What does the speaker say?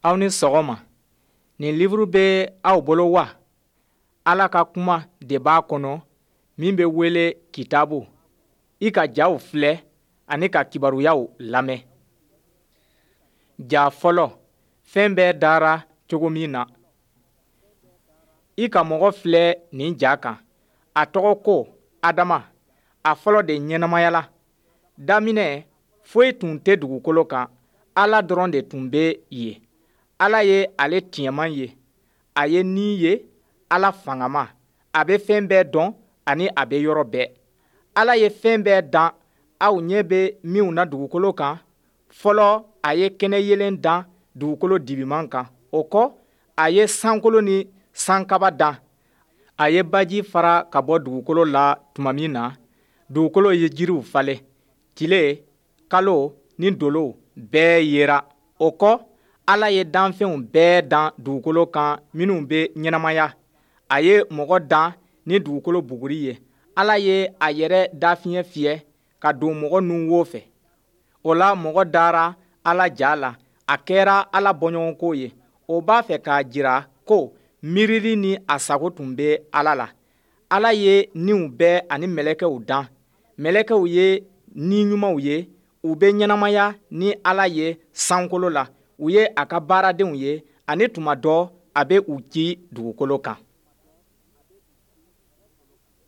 Aw ni sɔgɔma. Nin livuru bɛ aw bolo wa? Ala ka kuma de b'a kɔnɔ min bɛ wele Kitabu. I ka jaw filɛ ani ka kibaruyaw lamɛn. Ja fɔlɔ, fɛn bɛɛ dara cogo min na. I ka mɔgɔ filɛ nin ja kan. A tɔgɔ ko Adama. A fɔlɔ de ɲɛnamayala. Daminɛ, foyi tun tɛ dugukolo kan. Ala dɔrɔn de tun bɛ yen. Ala ye ale tiɲɛman ye. A ye ni ye, Ala fangama. A bɛ fɛn bɛɛ dɔn ani a bɛ yɔrɔ bɛɛ. Ala ye fɛn bɛɛ dan aw ɲɛ bɛ minw na dugukolo kan. Fɔlɔ, a ye kɛnɛyeelen dan dugukolo dibiman kan. O kɔ, a ye sankolo ni sankaba dan. A ye baji fara ka bɔ dugukolo la tuma min na, dugukolo ye jiriw falen. Tile, kalo ni dolow bɛɛ yera. O kɔ, Ala ye danfɛnw bɛɛ dan dugukolo kan minnu bɛ ɲɛnamaya. A ye mɔgɔ dan ni dugukolo buguri ye. Ala ye a yɛrɛ dafiɲɛ fiyɛ ka don mɔgɔ nunwo fɛ. O la mɔgɔ dara Ala ja la, a kɛra Ala bɔɲɔgɔnko ye. O b'a fɛ k'a jira ko miirili ni a sago tun bɛ Ala la. Ala ye niw bɛɛ ani mɛlɛkɛw dan. Mɛlɛkɛw ye ni ɲumanw ye, u bɛ ɲɛnamaya ni Ala ye sankolo la. U ye a ka baaradenw ye ani tuma dɔ a bɛ u ci dugukolo kan.